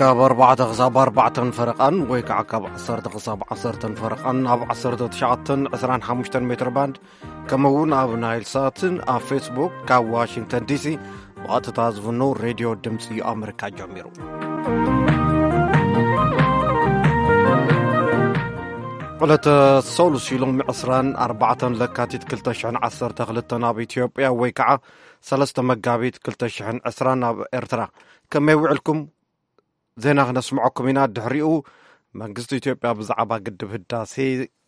ካብ ኣርባዕተ ክሳብ ኣርባዕተን ፈረቓን ወይ ከዓ ካብ ዓሰርተ ክሳብ ዓሰርተን ፈረቓን ኣብ ዓሰርተ ትሽዓተን ዕስራን ሓሙሽተን ሜትር ባንድ፣ ከምኡ እውን ኣብ ናይል ሳትን ኣብ ፌስቡክ ካብ ዋሽንግተን ዲሲ ብቐጥታ ዝፍኖ ሬድዮ ድምፂ ኣመሪካ ጀሚሩ። ዕለተ ሰሉስ ኢሎም ዕስራን ኣርባዕተን ለካቲት ክልተ ሽሕን ዓሰርተ ክልተን ኣብ ኢትዮጵያ ወይ ከዓ ሰለስተ መጋቢት ክልተ ሽሕን ዕስራን ኣብ ኤርትራ። ከመይ ውዕልኩም? ዜና ክነስምዐኩም ኢና። ድሕሪኡ መንግስቲ ኢትዮጵያ ብዛዕባ ግድብ ህዳሴ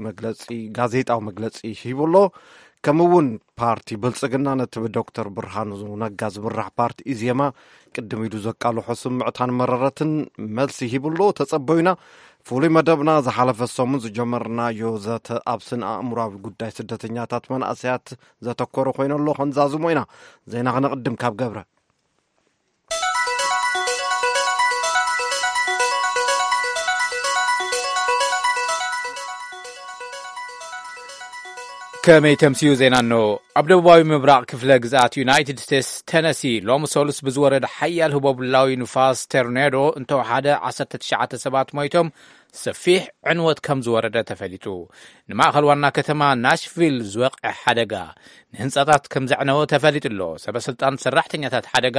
መግለጺ፣ ጋዜጣዊ መግለጺ ሂቡ ኣሎ። ከምኡ እውን ፓርቲ ብልጽግና ነቲ ብዶክተር ብርሃኑ ነጋ ዝምራሕ ፓርቲ ኢዜማ ቅድም ኢሉ ዘቃልሖ ስምዕታን መረረትን መልሲ ሂቡ ኣሎ። ተጸበዩና። ፍሉይ መደብና ዝሓለፈ ሰሙን ዝጀመርናዮ ዘተ ኣብ ስነ ኣእምሮዊ ጉዳይ ስደተኛታት መናእሰያት ዘተኮረ ኮይኑ ኣሎ። ክንዛዝሞ ኢና። ዜና ክነቕድም ካብ ገብረ። ከመይ ተምስዩ ዜና እንሆ። ኣብ ደቡባዊ ምብራቕ ክፍለ ግዝኣት ዩናይትድ ስቴትስ ተነሲ ሎሚ ሰሉስ ብዝወረደ ሓያል ህቦብላዊ ንፋስ ቶርኔዶ እንተወሓደ ዓሰርተ ትሽዓተ ሰባት ሞይቶም፣ ሰፊሕ ዕንወት ከም ዝወረደ ተፈሊጡ። ንማእኸል ዋና ከተማ ናሽቪል ዝወቕዐ ሓደጋ ንህንጻታት ከም ዘዕነወ ተፈሊጡ ኣሎ። ሰበ ስልጣን ሰራሕተኛታት ሓደጋ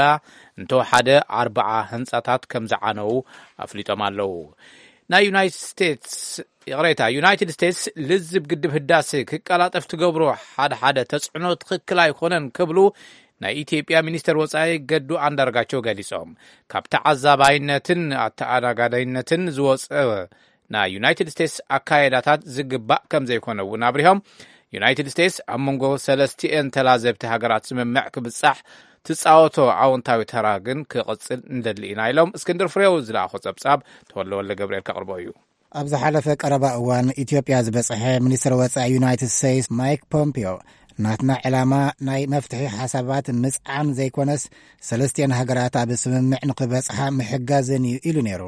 እንተወሓደ ኣርባዓ ህንጻታት ከም ዝዓነዉ ኣፍሊጦም ኣለዉ። ናይ ዩናይትድ ስቴትስ፣ ይቕሬታ፣ ዩናይትድ ስቴትስ ልዝብ ግድብ ህዳሴ ክቀላጠፍ ትገብሮ ሓደ ሓደ ተጽዕኖ ትኽክል ኣይኮነን ክብሉ ናይ ኢትዮጵያ ሚኒስተር ወጻኢ ገዱ ኣንዳርጋቸው ገሊጾም። ካብ ተዓዛባይነትን ኣተኣናጋዳይነትን ዝወጸ ናይ ዩናይትድ ስቴትስ ኣካየዳታት ዝግባእ ከም ዘይኮነ እውን ኣብሪሆም። ዩናይትድ ስቴትስ ኣብ መንጎ ሰለስቲኤን ተላዘብቲ ሃገራት ስምምዕ ክብጻሕ ትጻወቶ ኣወንታዊ ተራ ግን ክቕጽል እንደሊ ኢና ኢሎም። እስክንድር ፍሬው ዝለኣኾ ጸብጻብ ተወልደ ወልደ ገብርኤል ከቕርቦ እዩ። ኣብ ዝሓለፈ ቀረባ እዋን ኢትዮጵያ ዝበጽሐ ሚኒስትር ወጻኢ ዩናይትድ ስቴትስ ማይክ ፖምፒዮ፣ ናትና ዕላማ ናይ መፍትሒ ሓሳባት ምጽዓን ዘይኮነስ፣ ሰለስቲኤን ሃገራት ኣብ ስምምዕ ንኽበጽሓ ምሕጋዝን እዩ ኢሉ ነይሩ።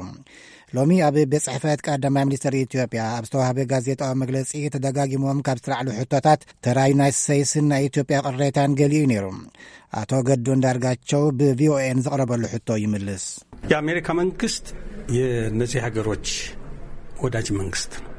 ሎሚ ኣብ ቤት ጽሕፈት ቀዳማይ ሚኒስትር ኢትዮጵያ ኣብ ዝተዋህበ ጋዜጣዊ መግለጺ ተደጋጊሞም ካብ ዝተላዕሉ ሕቶታት ተራ ዩናይትድ ስቴትስን ናይ ኢትዮጵያ ቅሬታን ገሊኡ ነይሩ። ኣቶ ገዱ እንዳርጋቸው ብቪኦኤን ዝቕረበሉ ሕቶ ይምልስ። የአሜሪካ መንግስት የእነዚህ ሀገሮች ወዳጅ መንግስት ነው።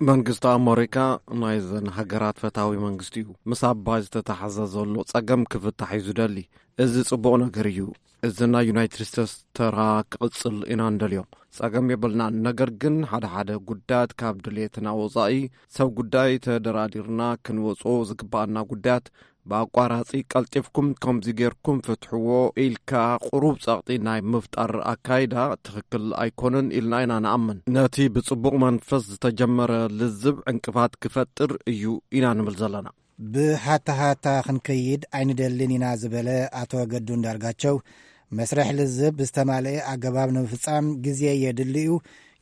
መንግስቲ ኣመሪካ ናይዘን ሃገራት ፈታዊ መንግስቲ እዩ። ምስ ኣባይ ዝተተሓዘ ዘሎ ጸገም ክፍታሕ እዩ ዝደሊ። እዚ ጽቡቕ ነገር እዩ። እዚ ናይ ዩናይትድ ስቴትስ ተራ ክቕጽል ኢና እንደልዮ። ጸገም የብልናን። ነገር ግን ሓደ ሓደ ጉዳያት ካብ ድሌትና ወጻኢ ሰብ ጉዳይ ተደራዲርና ክንወጾ ዝግባኣና ጉዳያት ብኣቋራጺ ቀልጢፍኩም ከምዚ ጌርኩም ፍትሕዎ ኢልካ ቁሩብ ጸቕጢ ናይ ምፍጣር ኣካይዳ ትኽክል ኣይኮነን ኢልና ኢና ንኣምን። ነቲ ብጽቡቕ መንፈስ ዝተጀመረ ልዝብ ዕንቅፋት ክፈጥር እዩ ኢና ንብል ዘለና። ብሃታሃታ ክንከይድ ኣይንደልን ኢና ዝበለ ኣቶ ገዱ እንዳርጋቸው፣ መስርሕ ልዝብ ብዝተማልአ ኣገባብ ንምፍጻም ግዜ የድሊ እዩ።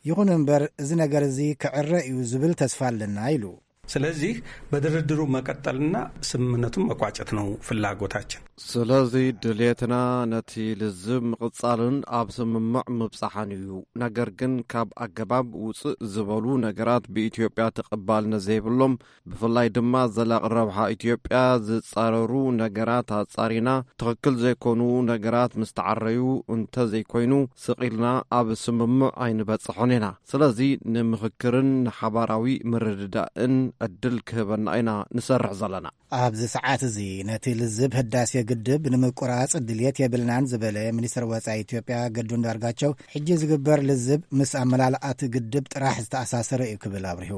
ይኹን እምበር፣ እዚ ነገር እዚ ክዕረ እዩ ዝብል ተስፋ ኣለና ኢሉ። ስለዚህ በድርድሩ መቀጠልና ስምምነቱን መቋጨት ነው ፍላጎታችን። ስለዚ ድሌትና ነቲ ልዝብ ምቕጻልን ኣብ ስምምዕ ምብጻሕን እዩ። ነገር ግን ካብ ኣገባብ ውጽእ ዝበሉ ነገራት ብኢትዮጵያ ተቐባልነት ዘይብሎም፣ ብፍላይ ድማ ዘላቒ ረብሓ ኢትዮጵያ ዝጻረሩ ነገራት ኣጻሪና፣ ትኽክል ዘይኮኑ ነገራት ምስ ተዓረዩ፣ እንተዘይኮይኑ ስቕ ኢልና ኣብ ስምምዕ ኣይንበጽሖን ኢና። ስለዚ ንምኽክርን ንሓባራዊ ምርድዳእን ዕድል ክህበና ኢና ንሰርሕ ዘለና። ኣብዚ ሰዓት እዚ ነቲ ልዝብ ህዳሴ ግድብ ንምቁራጽ ድልየት የብልናን ዝበለ ሚኒስትር ወጻኢ ኢትዮጵያ ገዱ እንዳርጋቸው፣ ሕጂ ዝግበር ልዝብ ምስ ኣመላልኣቲ ግድብ ጥራሕ ዝተኣሳሰረ እዩ ክብል ኣብሪሁ።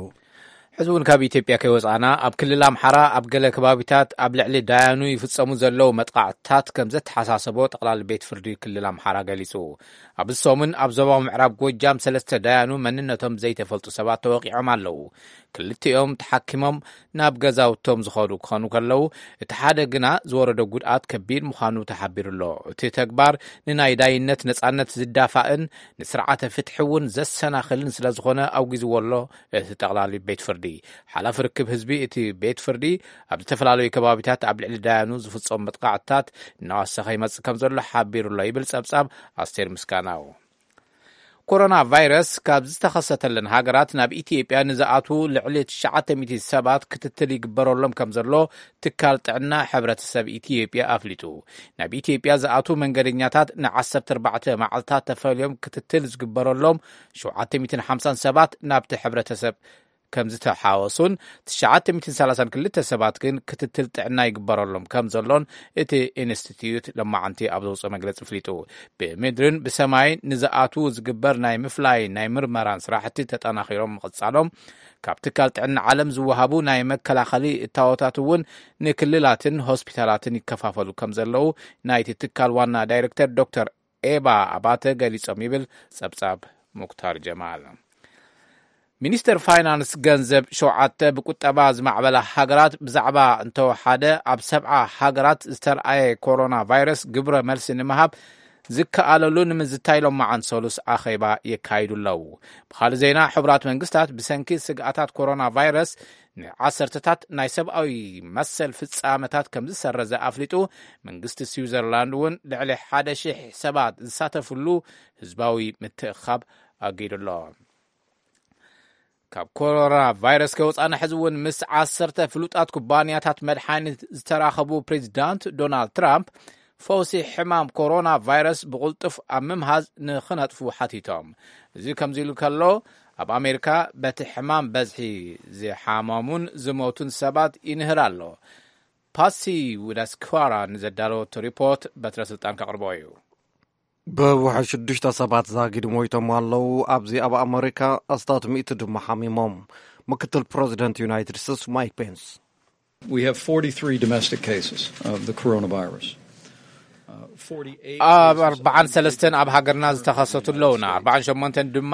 ሕዚ እውን ካብ ኢትዮጵያ ከይወጻእና፣ ኣብ ክልል ኣምሓራ ኣብ ገለ ከባቢታት ኣብ ልዕሊ ዳያኑ ይፍጸሙ ዘለዉ መጥቃዕትታት ከም ዘተሓሳሰቦ ጠቕላሊ ቤት ፍርዲ ክልል ኣምሓራ ገሊጹ። ኣብዚ ሰሙን ኣብ ዞባዊ ምዕራብ ጎጃም ሰለስተ ዳያኑ መንነቶም ዘይተፈልጡ ሰባት ተወቂዖም ኣለዉ። ክልቲኦም ተሓኪሞም ናብ ገዛውቶም ዝኸዱ ክኾኑ ከለዉ፣ እቲ ሓደ ግና ዝወረዶ ጉድኣት ከቢድ ምዃኑ ተሓቢሩ ኣሎ። እቲ ተግባር ንናይ ዳይነት ነጻነት ዝዳፋእን ንስርዓተ ፍትሒ እውን ዘሰናኽልን ስለ ዝኾነ ኣውጊዝዎ ኣሎ እቲ ጠቕላሊ ቤት ፍርዲ። ሓላፊ ርክብ ህዝቢ እቲ ቤት ፍርዲ ኣብ ዝተፈላለዩ ከባቢታት ኣብ ልዕሊ ዳያኑ ዝፍጸሙ መጥቃዕትታት እናወሰኸ ይመጽእ ከም ዘሎ ሓቢሩ ኣሎ ይብል ጸብጻብ ኣስቴር ምስጋናው። ኮሮና ቫይረስ ካብ ዝተኸሰተለን ሃገራት ናብ ኢትዮጵያ ንዝኣትዉ ልዕሊ ትሽዓተ ሚእቲ ሰባት ክትትል ይግበረሎም ከም ዘሎ ትካል ጥዕና ሕብረተሰብ ኢትዮጵያ ኣፍሊጡ። ናብ ኢትዮጵያ ዝኣትዉ መንገደኛታት ን ዓሰርተ ኣርባዕተ መዓልታት ተፈልዮም ክትትል ዝግበረሎም ሸውዓተ ሚእትን ሓምሳን ሰባት ናብቲ ሕብረተሰብ ከም ዝተሓወሱን ትሽዓተ ሚእትን ሰላሳን ክልተ ሰባት ግን ክትትል ጥዕና ይግበረሎም ከም ዘሎን እቲ ኢንስቲትዩት ለማዓንቲ ኣብ ዘውፅኦ መግለፂ ኣፍሊጡ። ብምድርን ብሰማይን ንዝኣትዉ ዝግበር ናይ ምፍላይ ናይ ምርመራን ስራሕቲ ተጠናኺሮም ምቕፃሎም፣ ካብ ትካል ጥዕና ዓለም ዝወሃቡ ናይ መከላኸሊ እታወታት እውን ንክልላትን ሆስፒታላትን ይከፋፈሉ ከም ዘለዉ ናይቲ ትካል ዋና ዳይሬክተር ዶክተር ኤባ ኣባተ ገሊጾም ይብል ጸብጻብ ሙክታር ጀማል። ሚኒስተር ፋይናንስ ገንዘብ ሸውዓተ ብቁጠባ ዝማዕበላ ሃገራት ብዛዕባ እንተወሓደ ኣብ ሰብዓ ሃገራት ዝተርኣየ ኮሮና ቫይረስ ግብረ መልሲ ንምሃብ ዝከኣለሉ ንምዝታይ ሎማዓን ሰሉስ ኣኼባ የካይዱ ኣለዉ። ብኻልእ ዜና፣ ሕቡራት መንግስታት ብሰንኪ ስግኣታት ኮሮና ቫይረስ ንዓሰርተታት ናይ ሰብኣዊ መሰል ፍጻመታት ከም ዝሰረዘ ኣፍሊጡ፣ መንግስቲ ስዊዘርላንድ እውን ልዕሊ ሓደ ሺሕ ሰባት ዝሳተፍሉ ህዝባዊ ምትእኻብ ኣጊዱ ኣሎ። ካብ ኮሮና ቫይረስ ከወፃና ሕዚ እውን ምስ ዓሰርተ ፍሉጣት ኩባንያታት መድሓኒት ዝተራኸቡ ፕሬዚዳንት ዶናልድ ትራምፕ፣ ፈውሲ ሕማም ኮሮና ቫይረስ ብቕልጡፍ ኣብ ምምሃዝ ንኽነጥፉ ሓቲቶም። እዚ ከምዚ ኢሉ ከሎ፣ ኣብ ኣሜሪካ በቲ ሕማም በዝሒ ዝሓመሙን ዝሞቱን ሰባት ይንህር ኣሎ። ፓሲ ውዳስክዋራ ንዘዳለወቶ ሪፖርት በትረ ስልጣን ከቕርቦ እዩ። ብውሕድ ሽዱሽተ ሰባት ዛጊድ ሞይቶም ኣለዉ። ኣብዚ ኣብ ኣመሪካ ኣስታት ሚእቲ ድማ ሓሚሞም። ምክትል ፕረዚደንት ዩናይትድ ስቴትስ ማይክ ፔንስ፣ We have forty-three domestic cases of the coronavirus. Uh, forty-eight ኣብ cases of ኣርባዓን ሰለስተን ኣብ ሃገርና ዝተኸሰቱ ኣለውና። ኣርባዓን ሸሞንተን ድማ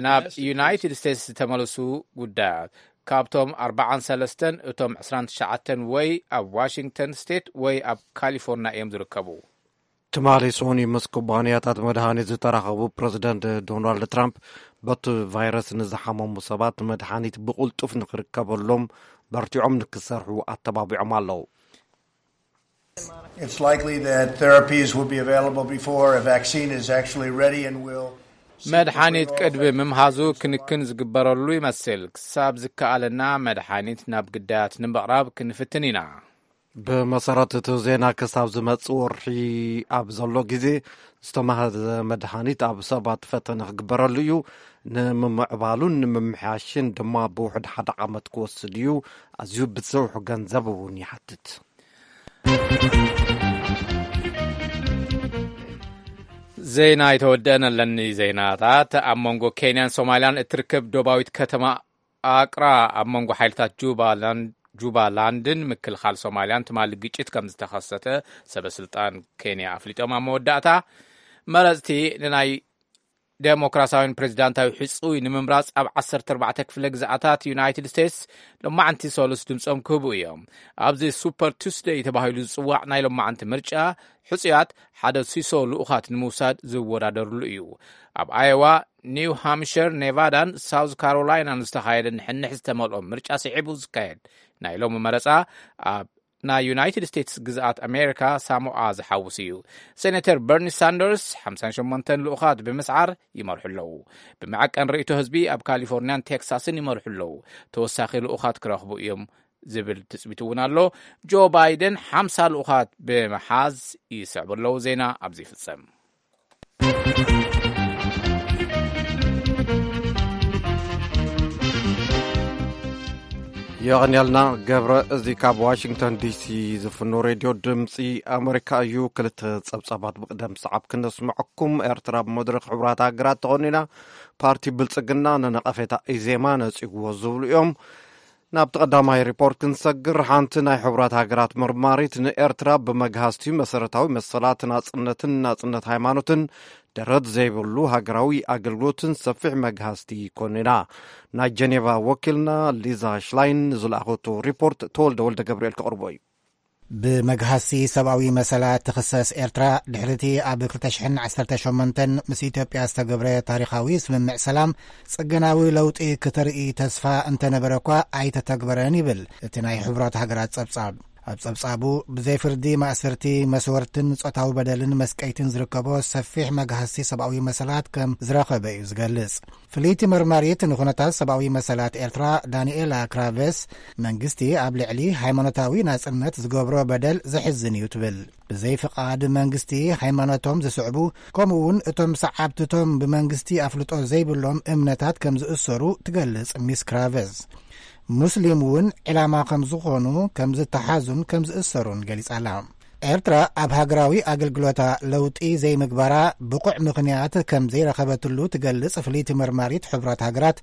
ናብ ዩናይትድ ስቴትስ ዝተመለሱ ጉዳያት። ካብቶም ኣርባዓን ሰለስተን እቶም ዕስራን ትሽዓተን ወይ ኣብ ዋሽንግተን ስቴት ወይ ኣብ ካሊፎርኒያ እዮም ዝርከቡ። ትማሊ ሶኒ ምስ ኩባንያታት መድሃኒት ዝተራኸቡ ፕረዚደንት ዶናልድ ትራምፕ፣ በቲ ቫይረስ ንዝሓመሙ ሰባት መድሃኒት ብቕልጡፍ ንክርከበሎም በርቲዖም ንክሰርሑ ኣተባቢዖም ኣለዉ። It's likely that therapies will be available before a vaccine is actually ready and will seek to መድሓኒት bring all ቅድሚ ምምሃዙ ክንክን ዝግበረሉ ይመስል። ክሳብ ዝከኣለና መድሓኒት ናብ ግዳያት ንምቕራብ ክንፍትን ኢና። ብመሰረት እቲ ዜና፣ ክሳብ ዝመጽእ ወርሒ ኣብ ዘሎ ግዜ ዝተማህዘ መድሃኒት ኣብ ሰባት ፈተነ ክግበረሉ እዩ። ንምምዕባሉን ንምምሕያሽን ድማ ብውሕድ ሓደ ዓመት ክወስድ እዩ። ኣዝዩ ብዙሕ ገንዘብ እውን ይሓትት። ዜና ኣይተወደአን ኣለኒ ዜናታት። ኣብ መንጎ ኬንያን ሶማልያን እትርከብ ዶባዊት ከተማ ኣቅራ ኣብ መንጎ ሓይልታት ጁባላንድ ጁባላንድን ምክልኻል ሶማልያን ትማሊ ግጭት ከም ዝተኸሰተ ሰበ ስልጣን ኬንያ ኣፍሊጦም። ኣብ መወዳእታ፣ መረፅቲ ንናይ ዴሞክራሲያዊን ፕሬዚዳንታዊ ሕፁይ ንምምራፅ ኣብ ዓሰርተ ኣርባዕተ ክፍለ ግዝኣታት ዩናይትድ ስቴትስ ሎማዓንቲ ሰሉስ ድምፆም ክህቡ እዮም። ኣብዚ ሱፐር ቱስደይ ተባሂሉ ዝፅዋዕ ናይ ሎማዓንቲ ምርጫ፣ ሕፁያት ሓደ ሲሶ ልኡኻት ንምውሳድ ዝወዳደርሉ እዩ። ኣብ ኣዮዋ፣ ኒው ሃምሽር፣ ኔቫዳን ሳውዝ ካሮላይናን ዝተኻየደ ንሕንሕ ዝተመልኦ ምርጫ ስዒቡ ዝካየድ ናይ ሎሚ መረፃ፣ ኣብ ናይ ዩናይትድ ስቴትስ ግዝኣት ኣሜሪካ ሳሞኣ ዝሓውስ እዩ። ሴኔተር በርኒ ሳንደርስ ሓምሳን ሸሞንተን ልኡኻት ብምስዓር ይመርሑ ኣለዉ። ብመዐቀን ርእይቶ ህዝቢ ኣብ ካሊፎርኒያን ቴክሳስን ይመርሑ ኣለዉ። ተወሳኺ ልኡኻት ክረኽቡ እዮም ዝብል ትጽቢት እውን ኣሎ። ጆ ባይደን ሓምሳ ልኡኻት ብምሓዝ ይስዕቡ ኣለዉ። ዜና ኣብዚ ይፍጸም። የቐንያልና ገብረ። እዚ ካብ ዋሽንግተን ዲሲ ዝፍኖ ሬድዮ ድምፂ ኣመሪካ እዩ። ክልተ ጸብጻባት ብቅደም ሰዓብ ክነስምዐኩም። ኤርትራ ብመድረኽ ሕቡራት ሃገራት ተኾኒና፣ ፓርቲ ብልጽግና ንነቐፌታ ኢዜማ ነጺግዎ ዝብሉ እዮም። ናብቲ ቀዳማይ ሪፖርት ክንሰግር፣ ሓንቲ ናይ ሕቡራት ሃገራት መርማሪት ንኤርትራ ብመግሃስቲ መሰረታዊ መሰላት ናጽነትን ናጽነት ሃይማኖትን ደረት ዘይብሉ ሃገራዊ ኣገልግሎትን ሰፊሕ መግሃስቲ ኮኒና። ናይ ጀኔቫ ወኪልና ሊዛ ሽላይን ዝለኣኸቶ ሪፖርት ተወልደ ወልደ ገብርኤል ከቕርቦ እዩ። ብመግሃሲ ሰብኣዊ መሰላት ትኽሰስ ኤርትራ፣ ድሕሪቲ ኣብ ክልተ ሽሕን ዓሰርተ ሸሞንተን ምስ ኢትዮጵያ ዝተገብረ ታሪኻዊ ስምምዕ ሰላም፣ ጽገናዊ ለውጢ ክተርኢ ተስፋ እንተነበረ እኳ ኣይተተግበረን ይብል እቲ ናይ ሕቡራት ሃገራት ጸብጻብ። ኣብ ጸብጻቡ፣ ብዘይ ፍርዲ ማእሰርቲ፣ መስወርትን ጾታዊ በደልን መስቀይትን ዝርከቦ ሰፊሕ መግሃስቲ ሰብኣዊ መሰላት ከም ዝረኸበ እዩ ዝገልጽ። ፍልይቲ መርማሪት ንኹነታት ሰብኣዊ መሰላት ኤርትራ ዳንኤላ ክራቨስ፣ መንግስቲ ኣብ ልዕሊ ሃይማኖታዊ ናጽነት ዝገብሮ በደል ዘሕዝን እዩ ትብል። ብዘይ ፍቓድ መንግስቲ ሃይማኖቶም ዝስዕቡ፣ ከምኡ እውን እቶም ሰዓብትቶም ብመንግስቲ ኣፍልጦ ዘይብሎም እምነታት ከም ዝእሰሩ ትገልጽ ሚስ ክራቨስ። ሙስሊም እውን ዕላማ ከም ዝኾኑ፣ ከም ዝተሓዙን ከም ዝእሰሩን ገሊጻ ኣላ። ኤርትራ ኣብ ሃገራዊ ኣገልግሎታ ለውጢ ዘይምግባራ ብቑዕ ምኽንያት ከም ዘይረኸበትሉ ትገልጽ ፍልይቲ መርማሪት ሕቡራት ሃገራት፣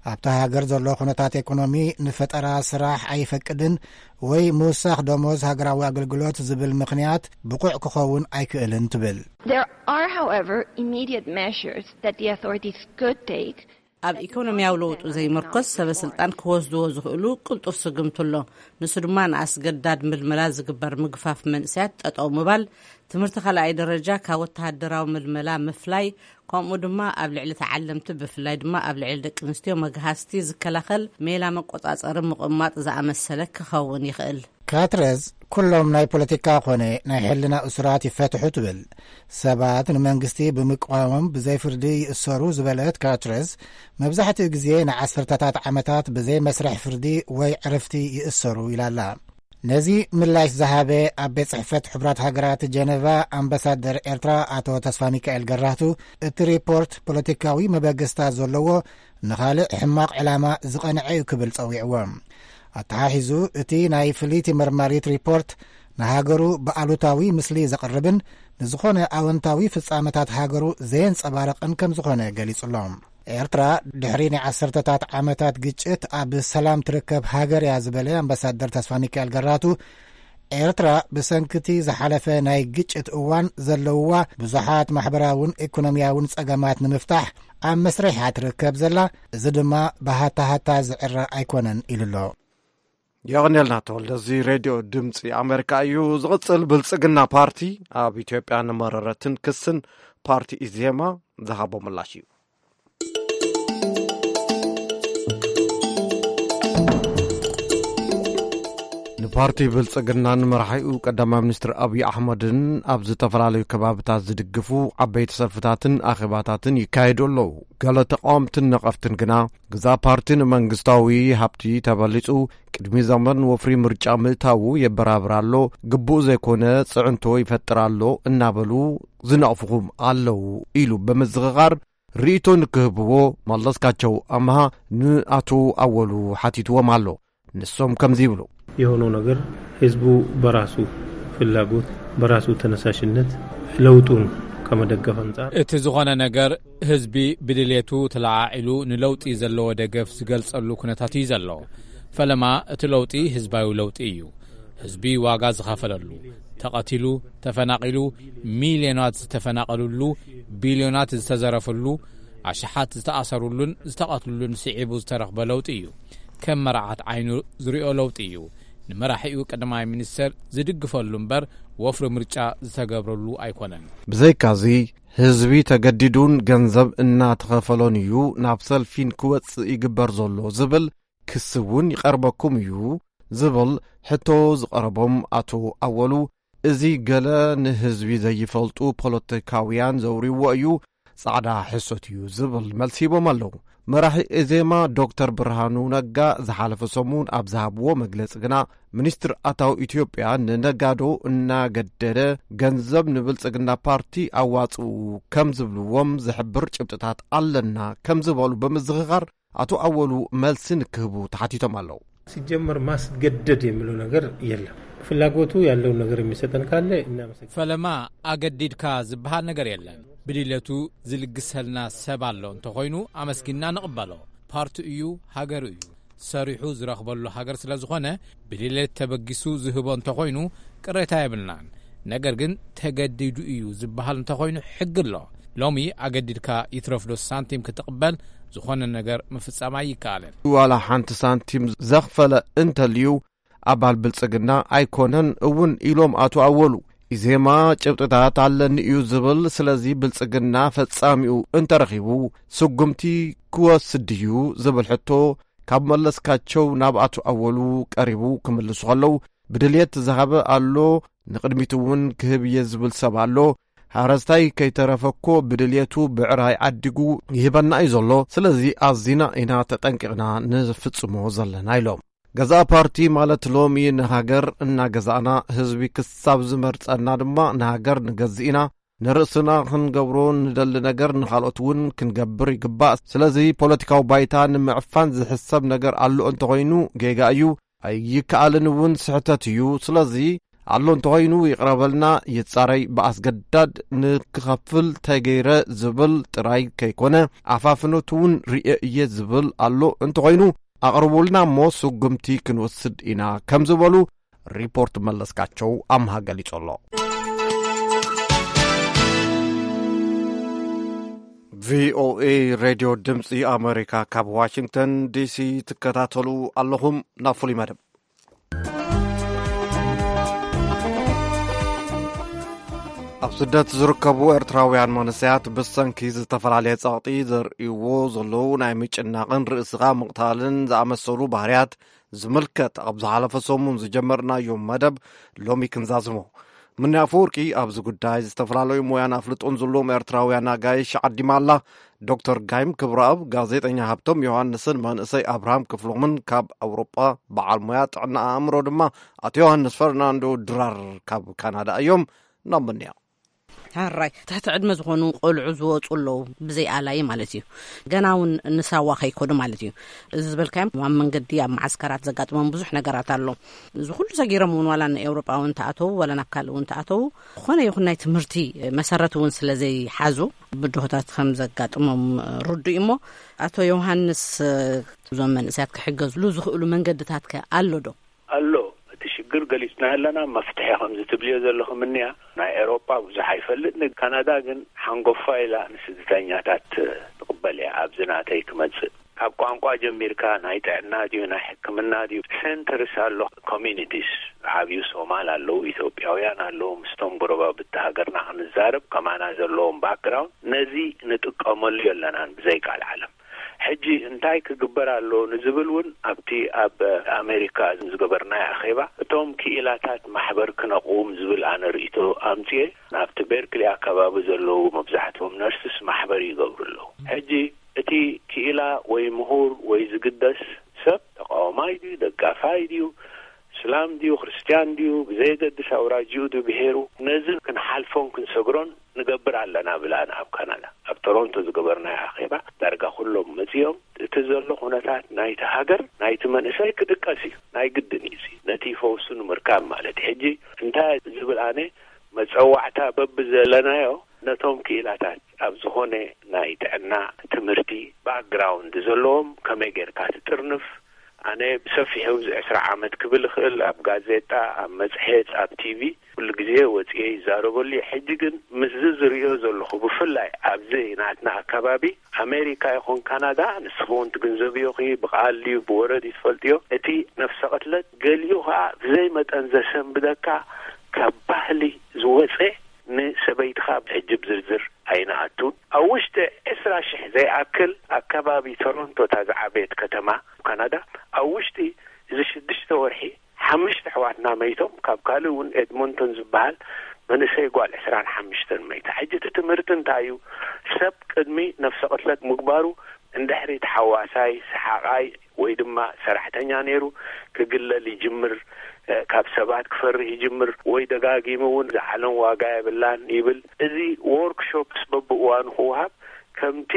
ኣብታ ሃገር ዘሎ ኩነታት ኤኮኖሚ ንፈጠራ ስራሕ ኣይፈቅድን ወይ ምውሳኽ ደሞዝ ሃገራዊ ኣገልግሎት ዝብል ምኽንያት ብቑዕ ክኸውን ኣይክእልን ትብል። There are, however, immediate measures that the authorities could take. ኣብ ኢኮኖሚያዊ ለውጡ ዘይምርኮስ ሰበ ስልጣን ክወስድዎ ዝኽእሉ ቅልጡፍ ስጉምቲ ኣሎ። ንሱ ድማ ንኣስገዳድ ምልመላ ዝግበር ምግፋፍ መንእሰያት ጠጠው ምባል፣ ትምህርቲ ካልኣይ ደረጃ ካብ ወተሃደራዊ ምልመላ ምፍላይ፣ ከምኡ ድማ ኣብ ልዕሊ ተዓለምቲ፣ ብፍላይ ድማ ኣብ ልዕሊ ደቂ ኣንስትዮ መግሃስቲ ዝከላኸል ሜላ መቆጻጸሪ ምቕማጥ ዝኣመሰለ ክኸውን ይኽእል። ካትረዝ፣ ኩሎም ናይ ፖለቲካ ኾነ ናይ ሕልና እሱራት ይፈትሑ ትብል። ሰባት ንመንግስቲ ብምቅዋሞም ብዘይ ፍርዲ ይእሰሩ ዝበለት ካትረዝ፣ መብዛሕትኡ ግዜ ንዓሰርተታት ዓመታት ብዘይ መስርሕ ፍርዲ ወይ ዕርፍቲ ይእሰሩ ኢላላ። ነዚ ምላሽ ዝሃበ ኣብ ቤት ጽሕፈት ሕቡራት ሃገራት ጀነቫ ኣምባሳደር ኤርትራ ኣቶ ተስፋ ሚካኤል ገራህቱ፣ እቲ ሪፖርት ፖለቲካዊ መበገስታ ዘለዎ፣ ንኻልእ ሕማቕ ዕላማ ዝቐንዐ እዩ ክብል ጸዊዕዎ። ኣተሓሒዙ፣ እቲ ናይ ፍልይቲ መርማሪት ሪፖርት ንሃገሩ ብኣሉታዊ ምስሊ ዘቕርብን ንዝኾነ ኣወንታዊ ፍጻመታት ሃገሩ ዘየንጸባርቕን ከም ዝኾነ ገሊጹ ኣሎ። ኤርትራ ድሕሪ ናይ ዓሰርተታት ዓመታት ግጭት ኣብ ሰላም ትርከብ ሃገር እያ ዝበለ ኣምባሳደር ተስፋ ሚካኤል ገራቱ፣ ኤርትራ ብሰንክቲ ዝሓለፈ ናይ ግጭት እዋን ዘለውዋ ብዙሓት ማሕበራውን ኢኮኖሚያውን ጸገማት ንምፍታሕ ኣብ መስርሕ እያ ትርከብ ዘላ፣ እዚ ድማ ብሃታሃታ ዝዕረ ኣይኮነን ኢሉ ኣሎ። የቕንየልና ተወልደ። እዚ ሬድዮ ድምፂ ኣሜሪካ እዩ። ዝቕፅል፣ ብልፅግና ፓርቲ ኣብ ኢትዮጵያ ንመረረትን ክስን ፓርቲ ኢዜማ ዝሃቦ ምላሽ እዩ። ንፓርቲ ብልጽግናን መራሒኡ ቀዳማይ ሚኒስትር ኣብይ ኣሕመድን ኣብ ዝተፈላለዩ ከባብታት ዝድግፉ ዓበይቲ ሰልፍታትን ኣኼባታትን ይካየዱ ኣለዉ። ገለ ተቃወምትን ነቐፍትን ግና፣ ግዛ ፓርቲ ንመንግስታዊ ሃብቲ ተበሊጹ ቅድሚ ዘመን ወፍሪ ምርጫ ምእታዉ የበራብር ኣሎ፣ ግቡእ ዘይኮነ ጽዕንቶ ይፈጥር ኣሎ እናበሉ ዝነቕፍኹም ኣለዉ ኢሉ ብምዝኽኻር፣ ርእይቶ ንክህብዎ መለስካቸው ኣምሃ ንኣቶ ኣወሉ ሓቲትዎም ኣሎ። ንሶም ከምዚ ይብሉ። የሆነው ነገር ህዝቡ በራሱ ፍላጎት በራሱ ተነሳሽነት ለውጡን ከመደገፍ አንጻር እቲ ዝኾነ ነገር ህዝቢ ብድሌቱ ተለዓዒሉ ንለውጢ ዘለዎ ደገፍ ዝገልጸሉ ኩነታት እዩ ዘሎ። ፈለማ እቲ ለውጢ ህዝባዊ ለውጢ እዩ። ህዝቢ ዋጋ ዝኸፈለሉ፣ ተቐቲሉ፣ ተፈናቒሉ፣ ሚልዮናት ዝተፈናቐሉሉ፣ ቢልዮናት ዝተዘረፈሉ፣ ኣሽሓት ዝተኣሰሩሉን ዝተቐትሉሉን ስዒቡ ዝተረኽበ ለውጢ እዩ። ከም መርዓት ዓይኑ ዝሪኦ ለውጢ እዩ። ንመራሒኡ ቀዳማይ ሚኒስተር ዝድግፈሉ እምበር ወፍሪ ምርጫ ዝተገብረሉ ኣይኮነን። ብዘይካዚ ህዝቢ ተገዲዱን ገንዘብ እናተኸፈሎን እዩ ናብ ሰልፊን ክወጽእ ይግበር ዘሎ ዝብል ክሲ እውን ይቐርበኩም እዩ ዝብል ሕቶ ዝቐረቦም ኣቶ ኣወሉ፣ እዚ ገለ ንህዝቢ ዘይፈልጡ ፖለቲካውያን ዘውርይዎ እዩ፣ ጻዕዳ ሕሶት እዩ ዝብል መልሲ ሂቦም ኣለዉ። መራሒ ኤዜማ ዶክተር ብርሃኑ ነጋ ዝሓለፈ ሰሙን ኣብ ዝሃብዎ መግለጺ ግና፣ ሚኒስትር ኣታዊ ኢትዮጵያ ንነጋዶ እናገደደ ገንዘብ ንብልጽግና ፓርቲ ኣዋጽኡ ከም ዝብልዎም ዝሕብር ጭብጥታት ኣለና ከም ዝበሉ ብምዝኽኻር፣ ኣቶ ኣወሉ መልሲ ንክህቡ ተሓቲቶም ኣለዉ። ሲጀመር ማስገደድ የሚለው ነገር የለም። ፍላጎቱ ያለውን ነገር የሚሰጠን ካለ እናመሰግናለን። ፈለማ ኣገዲድካ ዝበሃል ነገር የለን። ብድሌቱ ዝልግሰልና ሰብ ኣሎ እንተኾይኑ ኣመስጊንና ንቕበሎ። ፓርቲ እዩ፣ ሃገሩ እዩ። ሰሪሑ ዝረኽበሉ ሃገር ስለ ዝኾነ ብድሌት ተበጊሱ ዝህቦ እንተኾይኑ ቅሬታ የብልናን። ነገር ግን ተገዲዱ እዩ ዝበሃል እንተኾይኑ ሕጊ ኣሎ። ሎሚ ኣገዲድካ ይትረፍዶ ሳንቲም ክትቕበል ዝኾነ ነገር ምፍጻም ኣይከኣልን። ዋላ ሓንቲ ሳንቲም ዘኽፈለ እንተልዩ ኣባል ብልጽግና ኣይኮነን እውን ኢሎም ኣቶ ኣወሉ። ኢዜማ ጭብጥታት ኣለኒ እዩ ዝብል፣ ስለዚ ብልጽግና ፈጻሚኡ እንተረኺቡ ስጉምቲ ክወስድ ድዩ ዝብል ሕቶ ካብ መለስካቸው ናብ ኣቶ ኣወሉ ቀሪቡ ክምልሱ ከለዉ፣ ብድልየት ዝሃበ ኣሎ፣ ንቕድሚት እውን ክህብ እየ ዝብል ሰብ ኣሎ። ሓረስታይ ከይተረፈ እኮ ብድልየቱ ብዕራይ ዓዲጉ ይህበና እዩ ዘሎ። ስለዚ ኣዚና ኢና ተጠንቂቕና ንፍጽሞ ዘለና ኢሎም። ገዛእ ፓርቲ ማለት ሎሚ ንሃገር እናገዛእና ህዝቢ ክሳብ ዝመርጸና ድማ ንሃገር ንገዝእ ኢና። ንርእስና ክንገብሮ ንደሊ ነገር ንኻልኦት እውን ክንገብር ይግባእ። ስለዚ ፖለቲካዊ ባይታ ንምዕፋን ዝሕሰብ ነገር ኣሎ እንተኾይኑ ጌጋ እዩ፣ ኣይከኣልን እውን ስሕተት እዩ። ስለዚ ኣሎ እንተኾይኑ ይቕረበልና፣ ይጻረይ፣ ብኣስገዳድ ንክኸፍል ተገይረ ዝብል ጥራይ ከይኮነ ኣፋፍኖት እውን ርእየ እየ ዝብል ኣሎ እንተኾይኑ ኣቕርቡልና እሞ ስጉምቲ ክንወስድ ኢና ከም ዝበሉ ሪፖርት መለስካቸው ኣምሃ ገሊጹ ኣሎ። ቪኦኤ ሬድዮ ድምፂ ኣሜሪካ ካብ ዋሽንግተን ዲሲ ትከታተሉ ኣለኹም። ናብ ፍሉይ መደብ ኣብ ስደት ዝርከቡ ኤርትራውያን መንእሰያት ብሰንኪ ዝተፈላለየ ጸቕጢ ዘርእይዎ ዘለዉ ናይ ምጭናቕን ርእስኻ ምቕታልን ዝኣመሰሉ ባህርያት ዝምልከት ኣብ ዝሓለፈ ሰሙን ዝጀመርናዮ መደብ ሎሚ ክንዛዝሞ። ምኒ ኣፈወርቂ ኣብዚ ጉዳይ ዝተፈላለዩ ሞያን ኣፍልጦን ዘለዎም ኤርትራውያን ኣጋይሽ ዓዲማ ኣላ። ዶክተር ጋይም ክብረኣብ፣ ጋዜጠኛ ሃብቶም ዮሃንስን መንእሰይ ኣብርሃም ክፍሎምን ካብ ኣውሮጳ በዓል ሞያ ጥዕና ኣእምሮ ድማ ኣቶ ዮሃንስ ፈርናንዶ ድራር ካብ ካናዳ እዮም። ናብ ምንያ። ሕራይ ትሕቲ ዕድመ ዝኾኑ ቆልዑ ዝወፁ ኣለዉ፣ ብዘይ ኣላይ ማለት እዩ። ገና እውን ንሳዋ ከይኮዱ ማለት እዩ። እዚ ዝበልካዮም ኣብ መንገዲ ኣብ መዓስከራት ዘጋጥሞም ብዙሕ ነገራት ኣሎ። እዚ ኩሉ ሰጊሮም እውን ዋላ ንኤውሮጳ እውን ተኣተዉ ዋላ ናብ ካልእ እውን ተኣተዉ፣ ዝኾነ ይኹን ናይ ትምህርቲ መሰረት እውን ስለ ዘይሓዙ ብድሆታት ከም ዘጋጥሞም ርዱእ እዩ። እሞ ኣቶ ዮሃንስ፣ እዞም መንእሰያት ክሕገዝሉ ዝኽእሉ መንገድታት ከ ኣሎ ዶ? ኣሎ። እቲ ሽግር ገሊጽና ኣለና፣ መፍትሒ ከምዚ ትብልዮ ዘለኹም እንያ። ናይ ኤሮጳ ብዙሕ ኣይፈልጥ፣ ንካናዳ ግን ሓንጎፋ ኢላ ንስደተኛታት ትቕበል እያ። ኣብዚ ናተይ ክመጽእ ካብ ቋንቋ ጀሚርካ ናይ ጥዕና ድዩ ናይ ሕክምና ድዩ ሴንተርስ ኣሎ፣ ኮሚኒቲስ ዓብዩ ሶማል ኣለዉ፣ ኢትዮጵያውያን ኣለዉ። ምስቶም ጎረባብቲ ሃገርና ክንዛረብ ከማና ዘለዎም ባክግራውንድ ነዚ ንጥቀመሉ የለናን ብዘይ ቃል ዓለም። ሕጂ እንታይ ክግበር ኣሎ ንዝብል እውን ኣብቲ ኣብ ኣሜሪካ ዝገበርናዮ ኣኼባ እቶም ክኢላታት ማሕበር ክነቕውም ዝብል ኣነ ርእይቶ ኣምፅኤ። ኣብቲ ቤርክሊ ኣካባቢ ዘለዉ መብዛሕትኦም ነርስስ ማሕበር ይገብሩ ኣለዉ። ሕጂ እቲ ክኢላ ወይ ምሁር ወይ ዝግደስ ሰብ ተቃዋማይ ድዩ ደጋፋይ ድዩ እስላም ድዩ ክርስትያን ድዩ ብዘየገድስ ኣውራጅኡ ድዩ ብሄሩ ነዚ ክንሓልፎን ክንሰግሮን ንገብር ኣለና ብላና ኣብ ካናዳ ኣብ ቶሮንቶ ዝገበርናዮ ኣኼባ ዳርጋ ኩሎም መጺኦም። እቲ ዘሎ ኩነታት ናይቲ ሃገር ናይቲ መንእሰይ ክድቀስ እዩ፣ ናይ ግድን እዩ። እዚ ነቲ ፈውሱ ንምርካብ ማለት እዩ። ሕጂ እንታይ ዝብል ኣነ መጸዋዕታ በብዘለናዮ ነቶም ክኢላታት ኣብ ዝኾነ ናይ ጥዕና ትምህርቲ ባክግራውንድ ዘለዎም ከመይ ጌርካ ትጥርንፍ? ኣነ ብሰፊሑ እዚ ዕስራ ዓመት ክብል እኽእል ኣብ ጋዜጣ ኣብ መጽሔት ኣብ ቲቪ ኩሉ ግዜ ወጽኤ ይዛረበሉ እየ። ሕጂ ግን ምስዚ ዝርእዮ ዘለኹ ብፍላይ ኣብዚ ናትና ኣካባቢ ኣሜሪካ ይኹን ካናዳ ንስኺ እውን ትግንዘብዮ ኺ ብቓል ድዩ ብወረ ድዩ ትፈልጥዮ እቲ ነፍሰ ቅትለት ገሊኡ ኸዓ ብዘይ መጠን ዘሰንብደካ ካብ ባህሊ ዝወፀ ንሰበይትኻ ሕጂ ብዝርዝር ኣይንኣቱን። ኣብ ውሽጢ ዕስራ ሽሕ ዘይኣክል ኣከባቢ ቶሮንቶ እታ ዝዓበየት ከተማ ካናዳ ኣብ ውሽጢ እዚ ሽዱሽተ ወርሒ ሓሙሽተ ኣሕዋትና መይቶም ካብ ካልእ እውን ኤድሞንቶን ዝበሃል መንእሰይ ጓል ዕስራን ሓሙሽተን መይታ። ሕጂ እቲ ትምህርቲ እንታይ እዩ? ሰብ ቅድሚ ነፍሰ ቅትለት ምግባሩ እንድሕሪ ተሓዋሳይ ሰሓቓይ ወይ ድማ ሰራሕተኛ ነይሩ ክግለል ይጅምር። ካብ ሰባት ክፈርህ ይጅምር ወይ ደጋጊሙ እውን ዝዓለም ዋጋ የብላን ይብል። እዚ ዎርክሾፕስ በብእዋኑ ክወሃብ ከምቲ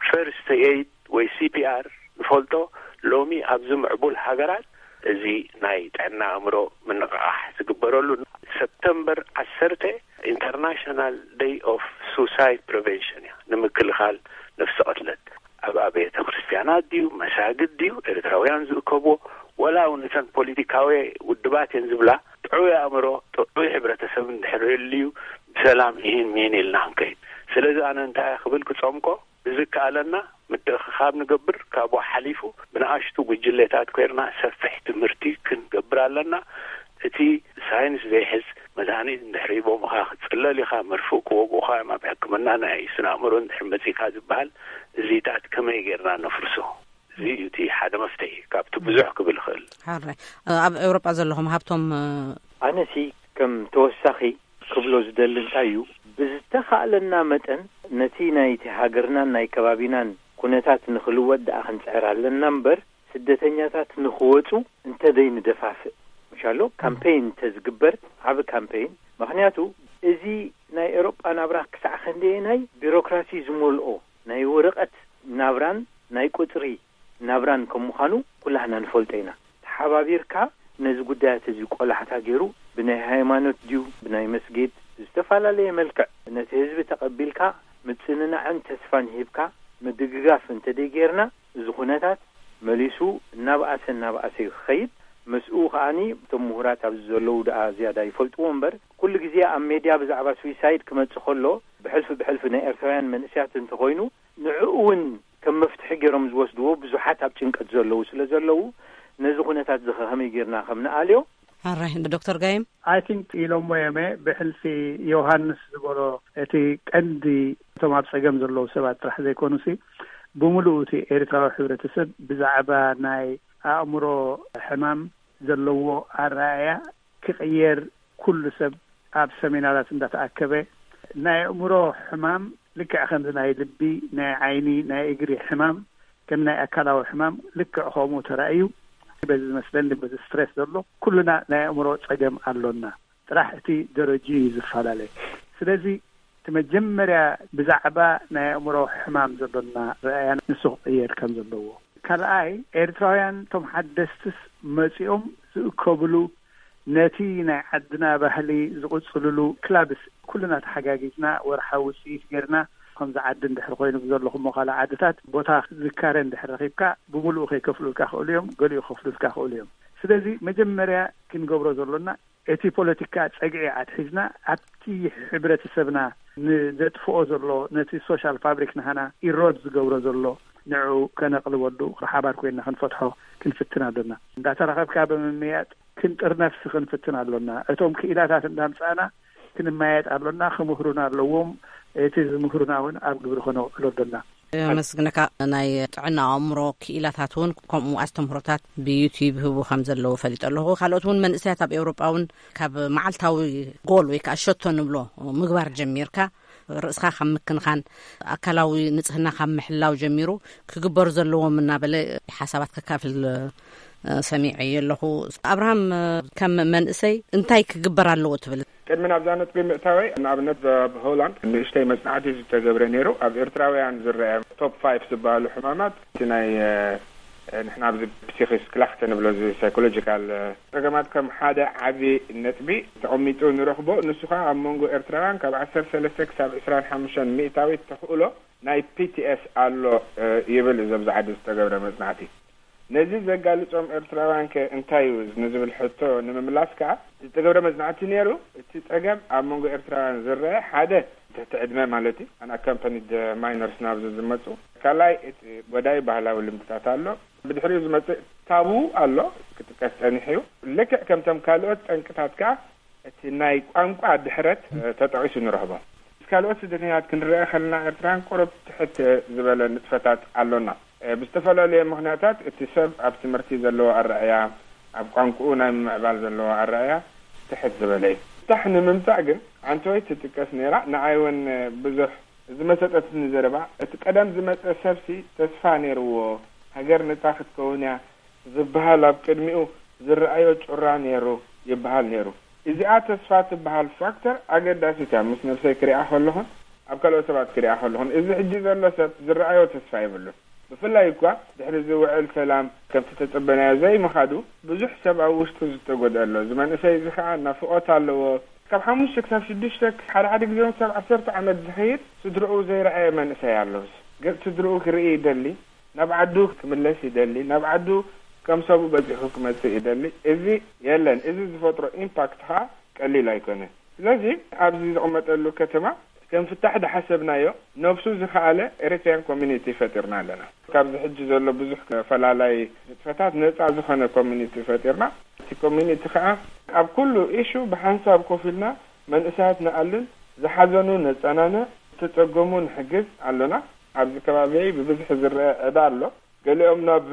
ፈርስት ኤይድ ወይ ሲፒኣር ንፈልጦ ሎሚ ኣብዚ ምዕቡል ሃገራት እዚ ናይ ጥዕና ኣእምሮ ምንቕቓሕ ዝግበረሉ ሰፕተምበር ዓሰርተ ኢንተርናሽናል ደይ ኦፍ ሱሳይድ ፕሪቨንሽን እያ ንምክልኻል ነፍሲ ቅትለት ኣብ ኣብያተ ክርስትያናት ድዩ መሳግድ ድዩ ኤርትራውያን ዝእከብዎ ወላ እውን እተን ፖለቲካዊ ውድባት እየን ዝብላ ጥዑይ ኣእምሮ ጥዑይ ሕብረተሰብ እንድሕር ህልዩ ብሰላም ይህን ሚን ኢልና ክንከይድ ስለዚ ኣነ እንታይ ክብል ክፀምቆ ብዝከኣለና ምትእኽኻብ ንገብር ካብኡ ሓሊፉ ብንኣሽቱ ጉጅሌታት ኮይርና ሰፊሕ ትምህርቲ ክንገብር ኣለና እቲ ሳይንስ ዘይሕዝ መድሃኒት እንድሕር ሂቦምኻ ክትፅለል ኢኻ መርፍእ ክወግኡኻ እዮም ኣብ ሕክምና ናይ ስነ ኣእምሮ እንድሕር መፂካ ዝበሃል እዚታት ከመይ ጌርና ነፍርሶ እዚ እዩ እቲ ሓደ መፍትሒ ካብቲ ብዙሕ ክብል ይኽእል። ሓራይ ኣብ ኤውሮጳ ዘለኹም ሃብቶም ኣነሲ ከም ተወሳኺ ክብሎ ዝደሊ እንታይ እዩ፣ ብዝተኻእለና መጠን ነቲ ናይቲ ሃገርናን ናይ ከባቢናን ኩነታት ንኽልወጥ ደኣ ክንጽዕር ኣለና እምበር፣ ስደተኛታት ንኽወጹ እንተደይ ንደፋፍእ ምሻሎ ካምፔይን እንተዝግበር፣ ዓቢ ካምፔይን። ምኽንያቱ እዚ ናይ ኤሮጳ ናብራ ክሳዕ ክንደየናይ ቢሮክራሲ ዝመልኦ ናይ ወረቐት ናብራን ናይ ቁጽሪ ናብራን ከም ምዃኑ ኩላህና ንፈልጦ ኢና። ተሓባቢርካ ነዚ ጉዳያት እዚ ቆላሕታ ገይሩ ብናይ ሃይማኖት ድዩ ብናይ መስጊድ ብዝተፈላለየ መልክዕ ነቲ ህዝቢ ተቐቢልካ ምጽንናዕን ተስፋን ሂብካ ምድግጋፍ እንተደይ ጌርና፣ እዚ ኩነታት መሊሱ እናብኣሰ እናብኣሰ እዩ ክኸይድ። ምስኡ ከኣኒ እቶም ምሁራት ኣብዚ ዘለዉ ደኣ ዝያዳ ይፈልጥዎ እምበር፣ ኩሉ ግዜ ኣብ ሜድያ ብዛዕባ ስዊሳይድ ክመጽእ ከሎ ብሕልፊ ብሕልፊ ናይ ኤርትራውያን መንእስያት እንተኾይኑ ንዕኡ እውን ከም መፍትሒ ገይሮም ዝወስድዎ ብዙሓት ኣብ ጭንቀት ዘለዉ ስለ ዘለዉ፣ ነዚ ኩነታት እዚ ከመይ ጌርና ከም ንኣልዮ። ኣራይ ዶክተር ጋይም? I think ኢሎሞ የመ ብሕልፊ ዮሃንስ ዝበሎ እቲ ቀንዲ እቶም ኣብ ጸገም ዘለዉ ሰባት ጥራሕ ዘይኮኑሲ ብምሉኡ እቲ ኤርትራዊ ሕብረተሰብ ብዛዕባ ናይ ኣእምሮ ሕማም ዘለዎ ኣረኣእያ ክቕየር፣ ኩሉ ሰብ ኣብ ሰሚናራት እንዳተኣከበ ናይ ኣእምሮ ሕማም ልክዕ ከምዚ ናይ ልቢ፣ ናይ ዓይኒ፣ ናይ እግሪ ሕማም ከም ናይ ኣካላዊ ሕማም ልክዕ ከምኡ ተራእዩ። በዚ ዝመስለኒ በዚ ስትሬስ ዘሎ ኩሉና ናይ ኣእምሮ ጸገም ኣሎና። ጥራሕ እቲ ደረጅኡ እዩ ዝፈላለ። ስለዚ እቲ መጀመርያ ብዛዕባ ናይ ኣእምሮ ሕማም ዘሎና ረኣያ ንሱ ክቕየር ከም ዘለዎ። ካልኣይ ኤርትራውያን እቶም ሓደስትስ መጺኦም ዝእከብሉ ነቲ ናይ ዓድና ባህሊ ዝቕጽልሉ ክላብስ ኩልና ተሓጋጊዝና ወርሓዊ ውጽኢት ጌርና ከምዚ ዓዲ እንድሕር ኮይኑ ብዘለኹሞ ካልእ ዓድታት ቦታ ዝካረ እንድሕር ረኺብካ ብምሉኡ ከይከፍሉልካ ክእሉ እዮም፣ ገሊኡ ክከፍሉልካ ክእሉ እዮም። ስለዚ መጀመርያ ክንገብሮ ዘሎና እቲ ፖለቲካ ጸግዒ ኣትሒዝና ኣብቲ ሕብረተሰብና ንዘጥፍኦ ዘሎ ነቲ ሶሻል ፋብሪክ ናህና ኢሮድ ዝገብሮ ዘሎ ንዑ ከነቕልበሉ ብሓባር ኮይንና ክንፈትሖ ክንፍትን ኣለና። እንዳተራኸብካ ብምምያጥ ክንጥርነፍሲ ክንፍትን ኣሎና። እቶም ክኢላታት እንዳምጻእና ክንመያየጥ ኣሎና። ክምህሩና ኣለዎም። እቲ ዝምህሩና እውን ኣብ ግብሪ ከነውዕሎ ኣሎና። ኣመስግነካ። ናይ ጥዕና ኣእምሮ ክኢላታት እውን ከምኡ ኣስተምህሮታት ብዩቲዩብ ህቡ ከም ዘለዉ ፈሊጠ ኣለኹ። ካልኦት እውን መንእሰያት ኣብ ኤውሮጳ እውን ካብ መዓልታዊ ጎል ወይ ከዓ ሸቶ ንብሎ ምግባር ጀሚርካ ርእስኻ ካብ ምክንኻን ኣካላዊ ንጽህና ካብ ምሕላው ጀሚሩ ክግበሩ ዘለዎም እናበለ ሓሳባት ከካፍል ሰሚዐ ኣለኹ። ኣብርሃም፣ ከም መንእሰይ እንታይ ክግበር ኣለዎ ትብል? ቅድሚ ናብዛ ነጥቢ ምእታወይ ንኣብነት ኣብ ሆላንድ ንእሽተይ መጽናዕቲ ዝተገብረ ነይሩ። ኣብ ኤርትራውያን ዝረአ ቶፕ ፋይፍ ዝበሃሉ ሕማማት እቲ ናይ ንሕና ኣብዚ ፕሲክስ ክላኽተ ንብሎ እዚ ሳይኮሎጂካል ጸገማት ከም ሓደ ዓቢ ነጥቢ ተቐሚጡ ንረኽቦ። ንሱ ከኣ ኣብ መንጎ ኤርትራውያን ካብ ዓሰርተ ሰለስተ ክሳብ ዕስራን ሓሙሽተን ሚእታዊት ተኽእሎ ናይ ፒቲኤስ ኣሎ ይብል እዚ ኣብዚ ዓዲ ዝተገብረ መጽናዕቲ። ነዚ ዘጋልጾም ኤርትራውያን ከ እንታይ እዩ ንዝብል ሕቶ ንምምላስ ከኣ ዝተገብረ መጽናዕቲ ነይሩ። እቲ ጸገም ኣብ መንጎ ኤርትራውያን ዝረአ ሓደ ትሕቲ ዕድመ ማለት እዩ፣ ኣንኣካምፓኒድ ማይነርስ ናብዚ ዝመጹ። ካልኣይ እቲ ጎዳኢ ባህላዊ ልምድታት ኣሎ። ብድሕሪኡ ዝመጽእ ታቡ ኣሎ ክጥቀስ ጸኒሑ እዩ። ልክዕ ከምቶም ካልኦት ጠንቅታት ከኣ እቲ ናይ ቋንቋ ድሕረት ተጠቒሱ ንረኽቦ። ምስ ካልኦት ስደተኛታት ክንረአ ከለና ኤርትራውያን ቁሩብ ትሕት ዝበለ ንጥፈታት ኣሎና። ብዝተፈላለየ ምኽንያታት እቲ ሰብ ኣብ ትምህርቲ ዘለዎ ኣረኣእያ፣ ኣብ ቋንቋኡ ናይ ምምዕባል ዘለዎ ኣረኣእያ ትሕት ዝበለ እዩ። ፍታሕ ንምምጻእ ግን ዓንተወይ ትጥቀስ ነይራ። ንዓይ እውን ብዙሕ ዝመሰጠትኒ ዘረባ፣ እቲ ቀደም ዝመጸ ሰብሲ ተስፋ ነይርዎ፣ ሃገር ነጻ ክትከውን እያ ዝበሃል ኣብ ቅድሚኡ ዝረኣዮ ጩራ ነይሩ ይበሃል ነይሩ። እዚኣ ተስፋ ትበሃል ፋክተር ኣገዳሲት እያ። ምስ ነብሰይ ክሪኣ ከለኹን ኣብ ካልኦት ሰባት ክሪኣ ከለኹን፣ እዚ ሕጂ ዘሎ ሰብ ዝረኣዮ ተስፋ የብሉን። ብፍላይ እኳ ድሕሪ እዚ ውዕል ሰላም ከምቲ ተጸበናዮ ዘይምኻዱ ብዙሕ ሰብ ኣብ ውሽጡ ዝተጎድአ ኣሎ። እዚ መንእሰይ እዚ ኸኣ ናፍቖት ኣለዎ። ካብ ሓሙሽተ ክሳብ ሽዱሽተ፣ ሓደ ሓደ ግዜ እውን ክሳብ ዓሰርተ ዓመት ዝኸይድ ስድርኡ ዘይረኣየ መንእሰይ ኣሎ። ገጽ ስድርኡ ክርኢ ይደሊ፣ ናብ ዓዱ ክምለስ ይደሊ፣ ናብ ዓዱ ከም ሰብኡ በጺሑ ክመጽእ ይደሊ። እዚ የለን። እዚ ዝፈጥሮ ኢምፓክት ኸኣ ቀሊል ኣይኮነን። ስለዚ ኣብዚ ዝቕመጠሉ ከተማ ከም ፍታሕ ዝሓሰብናዮ፣ ነብሱ ዝኸኣለ ኤሪትሪያን ኮሚኒቲ ፈጢርና ኣለና። ካብዚ ሕጂ ዘሎ ብዙሕ ፈላላይ ንጥፈታት ነጻ ዝኾነ ኮሚኒቲ ፈጢርና፣ እቲ ኮሚኒቲ ኸኣ ኣብ ኩሉ ኢሹ ብሓንሳብ ኮፍ ኢልና መንእሰያት ንኣልን፣ ዝሓዘኑ ነጸናንዕ፣ ዝተጸገሙ ንሕግዝ ኣሎና። ኣብዚ ከባቢየይ ብብዝሒ ዝረአ ዕዳ ኣሎ። ገሊኦም ናብ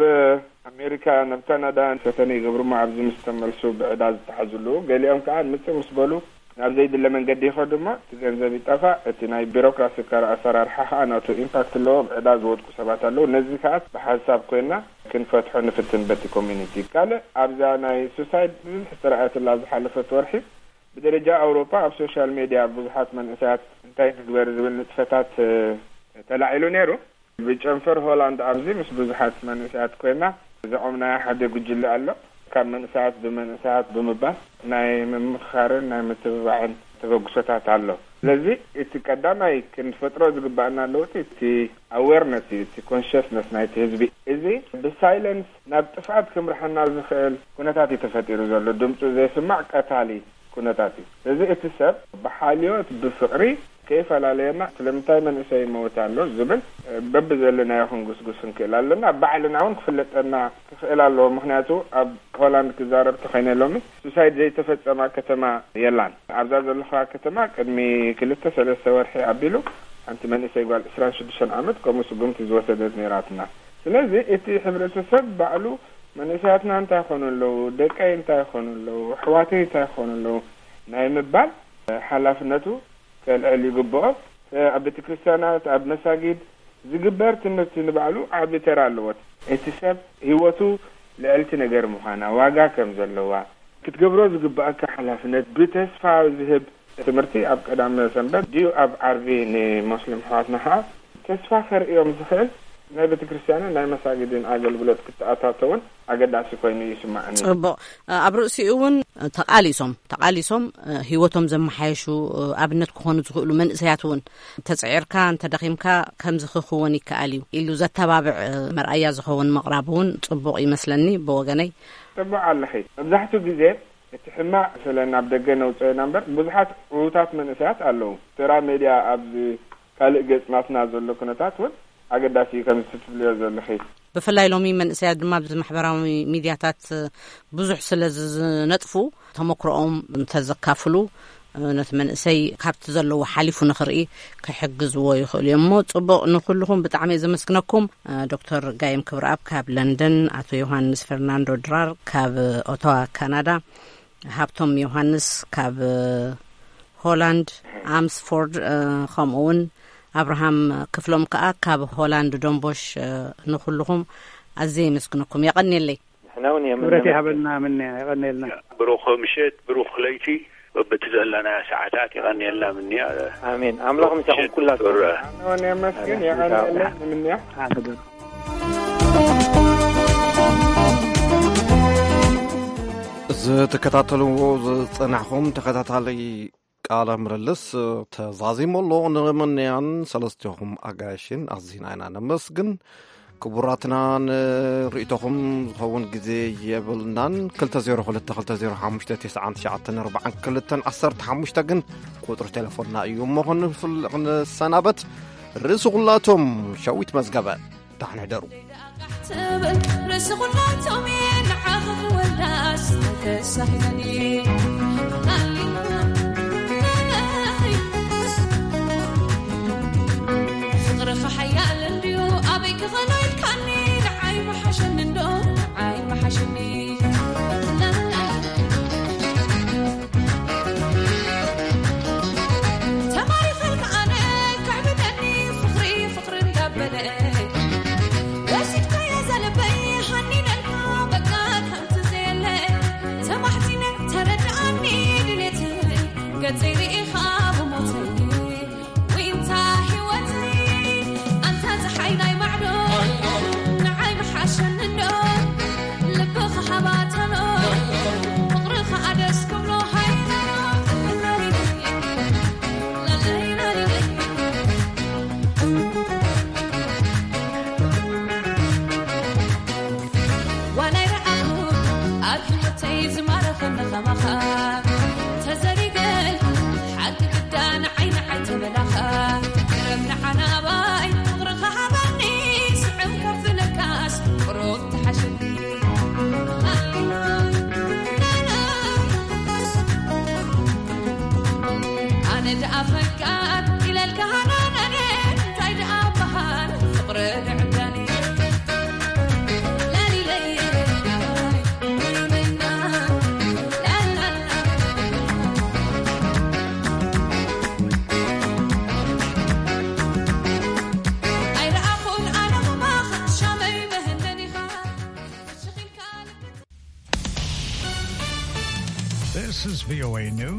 ኣሜሪካ፣ ናብ ካናዳ ፈተነ ይገብሩ እሞ ኣብዚ ምስ ተመልሱ ብዕዳ ዝተሓዙ ኣለዉ። ገሊኦም ከዓ ምጽእ ምስ በሉ ናብ ዘይድለ መንገዲ ይኸዱ እሞ እቲ ገንዘብ ይጠፋእ። እቲ ናይ ቢሮክራሲ ኣሰራርሓ ከዓ ናቱ ኢምፓክት ኣለዎ። ብዕዳ ዝወድቁ ሰባት ኣለዉ። ነዚ ከዓ ብሓንሳብ ኮይና ክንፈትሖ ንፍትን በቲ ኮሚኒቲ። ካልእ ኣብዛ ናይ ሱሳይድ ብዙሕ ዝተረኣየትላ ዝሓለፈት ወርሒ ብደረጃ ኣውሮፓ ኣብ ሶሻል ሜድያ ብዙሓት መንእሰያት እንታይ ንግበር ዝብል ንጥፈታት ተላዒሉ ነይሩ። ብጨንፈር ሆላንድ ኣብዚ ምስ ብዙሓት መንእሰያት ኮይና ዘቖምናዮ ሓደ ጉጅለ ኣሎ። ካብ መንእሰያት ብመንእሰያት ብምባል ናይ ምምኽኻርን ናይ ምትብባዕን ተበግሶታት ኣሎ። ስለዚ እቲ ቀዳማይ ክንፈጥሮ ዝግባኣና ለውጢ እቲ ኣዌርነስ እዩ፣ እቲ ኮንሽስነስ ናይቲ ህዝቢ። እዚ ብሳይለንስ ናብ ጥፍኣት ክምርሓና ዝኽእል ኩነታት እዩ ተፈጢሩ ዘሎ። ድምፁ ዘይስማዕ ቀታሊ ኩነታት እዩ። ስለዚ እቲ ሰብ ብሓልዮት ብፍቕሪ ከይፈላለየና ስለምንታይ መንእሰይ ይመውት ኣሎ ዝብል በብዘለናዮ ክንጉስጉስ ንክእል ኣለና። ባዕልና እውን ክፍለጠና ክኽእል ኣለዎ። ምክንያቱ ኣብ ሆላንድ ክዛረብ ተኸይነ ሎሚ ሱሳይድ ዘይተፈጸማ ከተማ የላን። ኣብዛ ዘለኻ ከተማ ቅድሚ ክልተ ሰለስተ ወርሒ ኣቢሉ ሓንቲ መንእሰይ ጓል ዕስራን ሽዱሽተን ዓመት ከምኡ ስጉምቲ ዝወሰደት ነይራትና። ስለዚ እቲ ሕብረተሰብ ባዕሉ መንእሰያትና እንታይ ይኾኑ ኣለዉ፣ ደቀይ እንታይ ይኾኑ ኣለዉ፣ ኣሕዋተይ እንታይ ይኾኑ ኣለዉ ናይ ምባል ሓላፍነቱ ከልዕል ይግብኦ። ኣብ ቤተ ክርስቲያናት፣ ኣብ መሳጊድ ዝግበር ትምህርቲ ንባዕሉ ዓቢ ተራ ኣለዎ። እቲ ሰብ ህይወቱ ልዕልቲ ነገር ምዃና፣ ዋጋ ከም ዘለዋ፣ ክትገብሮ ዝግባኣካ ሓላፍነት ብተስፋ ዝህብ ትምህርቲ ኣብ ቀዳመ ሰንበት ድዩ ኣብ ዓርቢ ንሞስሊም ኣሕዋትና ኸዓ ተስፋ ከርእዮም ዝኽእል ናይ ቤተ ክርስቲያንን ናይ መሳጊድን ኣገልግሎት ክተኣታተውን ኣገዳሲ ኮይኑ ይስማዓኒ። ጽቡቕ። ኣብ ርእሲኡ እውን ተቓሊሶም፣ ተቓሊሶም፣ እ፣ ህይወቶም ዘመሓየሹ፣ እ፣ ኣብነት ክኾኑ ዝኽእሉ መንእሰያት እውን ተጽዒርካ እንተደኺምካ ከምዚ ክኽወን ይከኣል እዩ ኢሉ ዘተባብዕ፣ እ፣ መርኣያ ዝኸውን ምቕራብ እውን ጽቡቕ ይመስለኒ ብወገነይ። ጽቡቕ ኣለኺ። መብዛሕትኡ ግዜ እቲ ሕማቕ ስለ ናብ ደገ ነውጽኦ ኢና እምበር ብዙሓት ዕዉታት መንእሰያት ኣለዉ። ተራ ሜድያ ኣብዚ ካልእ ገጽ ናትና ዘሎ ኩነታት እውን ኣገዳሲ እዩ ከምዚ ትብልዮ ዘለኺ። ብፍላይ ሎሚ መንእሰያት ድማ ኣብዚ ማሕበራዊ ሚድያታት ብዙሕ ስለ ዝነጥፉ ተመክሮኦም እንተዘካፍሉ ነቲ መንእሰይ ካብቲ ዘለዎ ሓሊፉ ንኽርኢ ክሕግዝዎ ይኽእሉ እዮም። እሞ ጽቡቕ፣ ንኹልኹም ብጣዕሚ እየ ዘመስግነኩም። ዶክተር ጋይም ክብረኣብ ካብ ለንደን፣ ኣቶ ዮሃንስ ፈርናንዶ ድራር ካብ ኦታዋ ካናዳ፣ ሃብቶም ዮሃንስ ካብ ሆላንድ ኣምስፎርድ፣ እ፣ ከምኡ እውን ኣብርሃም ክፍሎም ከኣ ካብ ሆላንድ ዶንቦሽ፣ እ፣ ንኹልኹም ኣዝየ የመስግነኩም። የቐንየለይ። ንሕና እውን የምንመስግን። ክብረት ይሃበልና ምንያ፣ የቐንየልና። ብሩኽ ምሸት፣ ብሩኽ ለይቲ፣ በብቲ ዘለናዮ ሰዓታት የቐንየልና ምንያ። ኣሜን። ኣምላኽ ምሳኹም ኩላትኩም። ዶክተር። ኣነ እውን የመስግን፣ ኣሜን። የቐንየለይ ምንያ። ኣሜን። ዝትከታተልዎ ዝጸናሕኹም ተኸታታሊ ቃለ ምልልስ ተዛዚሙ ኣሎ። ንምንያን ሰለስቲኹም ኣጋይሽን ኣዚና ኢና ነመስግን። ክቡራትና፣ ንርእይቶኹም ዝኸውን ግዜ የብልናን። ክልተ ዜሮ ክልተ ክልተ ዜሮ ሓሙሽተ ተስዓን ትሽዓተን ኣርባዓን ክልተን ዓሰርተ ሓሙሽተ ግን ቁጽሪ ቴሌፎንና እዩ። እሞ ክንፍል-፣ ክንሰናበት ርእሲ ኩላቶም ሸዊት መዝገበ። ደሓን ሕደሩ። ትብል ርእሲ ኩላቶም እየ ንዓኺ ክወዳስ ተሳሂለኒ። ፍቕርኺ ሓያል እንድዩ ኣበይ ክኸኖ ኢልካኒ ንዓይ ምሓሸኒ እንዶ ንዓይ ምሓሸኒ። ተማሪኸልካ ኣነ ከዕብደኒ ፍቕሪ ፍቕሪ እንዳበለ ወሲድካዮ ዘለበይ ሃኒነልካ በቃ ከምቲ ዘየለ ተማሕጺነ ተረድኣኒ ድሌተይ ገጸይ ርኢኻ ብሞተይ ዊንታ ህይወተይ ኣንታ ጸሓይ ናይ ማዕዶ ንዓይ ምሓሸኒ እንዶ ልብኻ ሃባተሎ ፍቕርኻ ኣደስ ክብሎ ሃይለሎ ዋላ ይረኣኹ ኣብ ህይወተይ ዝማረኸኒ ኸማኻ ተዘሪገ ሓቂ ግዳ ንዓይ ንዓይ ተበላኻ ገረብ ንዓና ኣባይ ፍቕርኻ ሃባኒ ስዕም ከፍለካስ ቁሩብ ተሓሸኒ ኣነ ደኣ ፈቃር ኢለልካ ሃናናነ እንታይ ደኣ በሃል ፍቕሪ ድዕዳኒ V O A News.